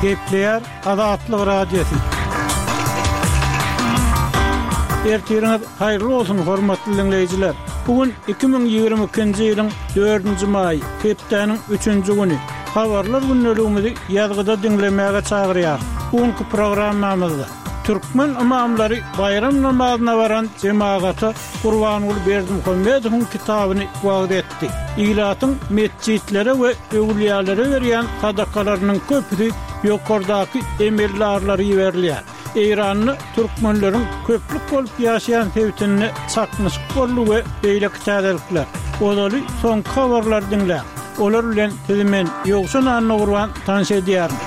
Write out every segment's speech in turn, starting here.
Gepleýär Azatlyk Radiosy. Ertiriňiz haýyrly bolsun, hormatly diňleýjiler! Bu gün 2022-nji ýylyň dördünji maýy, hepdäniň üçünji güni. Habarlar gündeligimizi ýazgyda diňlemäge çagyrýarys. Bu günki programmamyzda türkmen ymamlary baýram namazyna baran jemagata Gurbanguly Berdimuhamedowyň kitabyny wagyz etdi. Ilatyň metjitlere we öwlüýälere berýän sadakalarynyň köpüsi ýokardaky emeldarlara iberilýär. Eýranda türkmenleriň köplük bolup ýaşaýan sebitinde çaknyşyk boldy we beýleki täzelikler. Ozaly soňky habarlary diňläň. Olar bilen sizi men, Ýowşan Annagurban tanyş edýärin.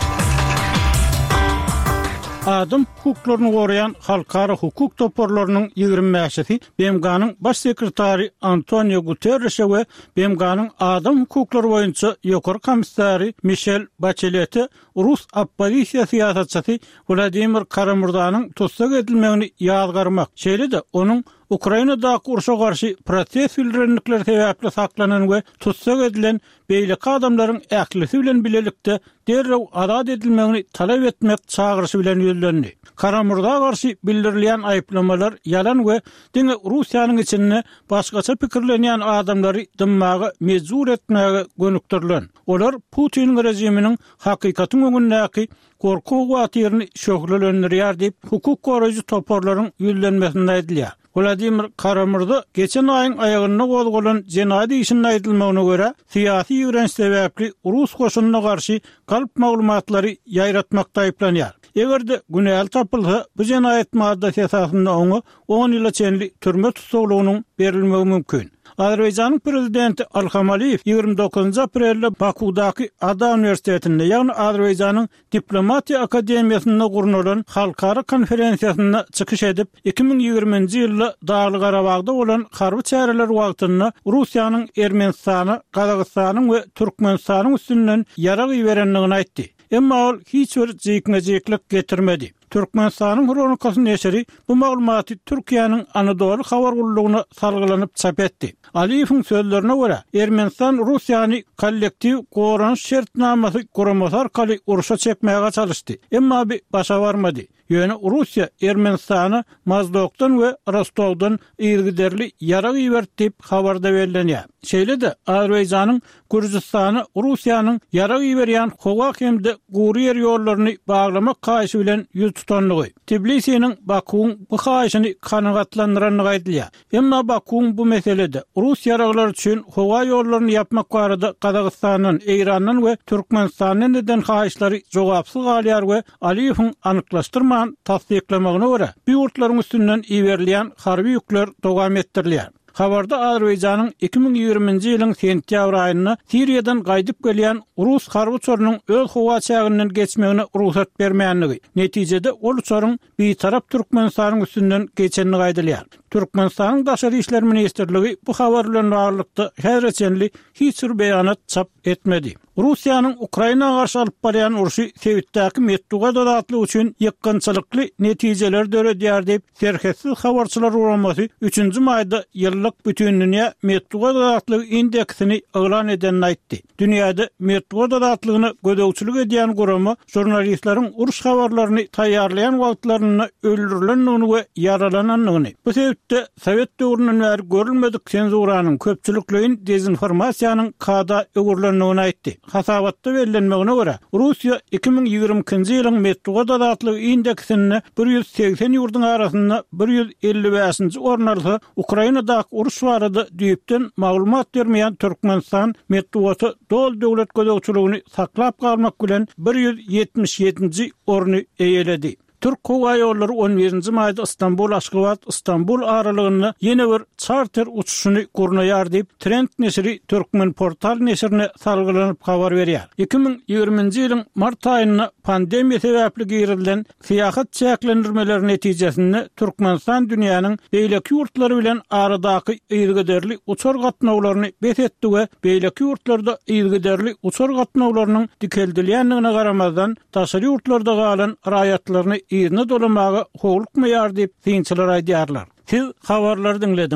Adam hukuklaryny goraýan halkara hukuk toparlarynyň 25-si BMG-niň Baş sekretary Antonio Guterreşe we BMG-niň adam hukuklary boýunça ýokary komissary Mişel Baçelete rus oppozisiýa syýasatçysy Wladimir Kara-Murzanyň tussag edilmegini ýazgarmak, şeýle-de onuň Ukrainadaky urşa garşy protest bildirendikleri sebäpli saklanan we tussag edilen beýleki adamlaryň ählisi bilen bilelikde derrew azat edilmegini talap etmek çagyryşy bilen ýüzlendi. Kara-Murza garşy bildirilýän aýyplamalar ýalan we diňe Russiýanyň içinde başgaça pikirlenýän adamlary dymmaga mejbur etmäge gönükdirilen. Olar Putiniň režiminiň hakykatyň öňündäki gorky-howatyryny şöhlelendirýär diýip, hukuk goraýjy toparlaryň ýüzlenmesinde aýdylýar. Wladimir Kara-Murza geçen aýyň aýagynda gozgalan jenaýat işinde aýdylmagyna görä, syýasy ýigrenç sebäpli rus goşunyna garşy galp maglumatlary ýaýratmakda aýyplanýar. Eger-de günäli tapylsa, bu jenaýat maddasy esasynda oňa on ýyla çenli türme tussaglygynyň berilmegi mümkin. Azerbaýjanyň prezidenti Ilham Aliýew 29 aprelde Bakuwdaky ADA uniwersitetinde, ýagny Azerbaýjanyň Diplomatiýa akademiýasynda gurnalan halkara konferensiýasynda çykyş edip, 2020-nji ýylda Dagly-Garabagda bolan harby çäreler wagtynda Russiýanyň Ermenistana, Gazagystanyň we Türkmenistanyň üstünden ýarag iberendigini aýtdy. Emma ol hiç bir jikme-jiklik getirmedi. Türkmenistanyň Hronikasy neşiri bu maglumaty Türkiýäniň Anadoly habar gullugyna salgylanyp çap etdi. Aliýewiň sözlerine görä, Ermenistan Russiýany Kollektiw goranyş şertnamasy guramasy arkaly urşa çekmäge çalyşdy. Emma bi başa barmady. Ýöne Russiýa Ermenistana Mozdokdan we Rostowdan yzygiderli ýarag iberdi diýip, habarda bellenýär. Şeýle-de, Azerbaýjanyň Gürjüstana Russiýanyň ýarag iberýän howa hem-de gury ýer ýollaryny baglamak haýyşy bilen ýüz tutandygy, Tbilisiniň Bakuwyň bu haýyşyny kanagatlandyrandygy aýdylýar. Emma Bakuwyň bu meselede, rus ýaraglary üçin howa ýollaryny ýapmak barada Gazagystandan, Eýrandan we Türkmenistandan eden haýyşlary jogapsyz galýar we Aliýewiň anyklaşdyrman tassyklamagyna görä, bu ýurtlaryň üstünden iberilýän harby ýükler dowam etdirilýär. Habarda Azerbaýjanyň 2020-nji ýylyň sentýabr aýynda Siriýadan gaýdyp gelýän rus harby uçarynyň öz howa çäginden geçmegine rugsat bermändigi, netijede ol uçaryň Bitarap Türkmenistanyň üstünden geçendigi aýdylýar. Türkmenistanyň Daşary işler ministrligi bu habar bilen baglylykda häzire çenli hiç bir beýanat çap etmedi. Russiýanyň Ukraina garşy alyp barýan urşy sebitdäki metbugat azatlygy üçin ýykgynçylykly netijeleri döredýär diýip, Serhetsiz habarçylar guramasy üçünji maýda ýyllyk Bütindünýä metbugat azatlygy indeksini yglan edenini aýtdy. Dünýäde metbugat azatlygyna gözegçilik edýän gurama žurnalistleriň uruş habarlaryny taýýarlaýan wagtlarynda öldürilendigini we ýaralanandygyny, bu sebitde sowet döwründen bäri görülmedik senzuranyň, köpçülikleýin dezinformasiýanyň kada öwrülendigini aýtdy. Hasabatda bellenmegine görä, Russiýa 2022-nji ýylyň metbugat azatlygy indeksinde 180 ýurduň arasynda 155-nji orun alsa, Ukrainadaky uruş barada düýpden maglumat bermeýän Türkmenistan metbugata doly döwlet gözegçiligini saklap galmak bilen 177-nji orny eýeledi. Türk howaýollary on birinji maýda Stambul-Aşgabat, Stambul aralygynda ýene bir çarter uçuşyny gurnaýar diýip, Trend neşiri Türkmenportal neşirine salgylanyp habar berýär. 2020-nji ýylyň mart aýynda pandemiýa sebäpli girizilen Syýahat çäklendirmeleri netijesinde Türkmenistan dünýäniň beýleki ýurtlary bilen aradaky yzygiderli uçar gatnawlaryny bes etdi we beýleki ýurtlarda yzygiderli uçar gatnawlarynyň dikeldilýändigine garamazdan, daşary ýurtlarda galan raýatlaryny yzyna dolamaga howlukmaýar diýip, synçylar aýdýarlar. Siz habarlary diňlediňiz.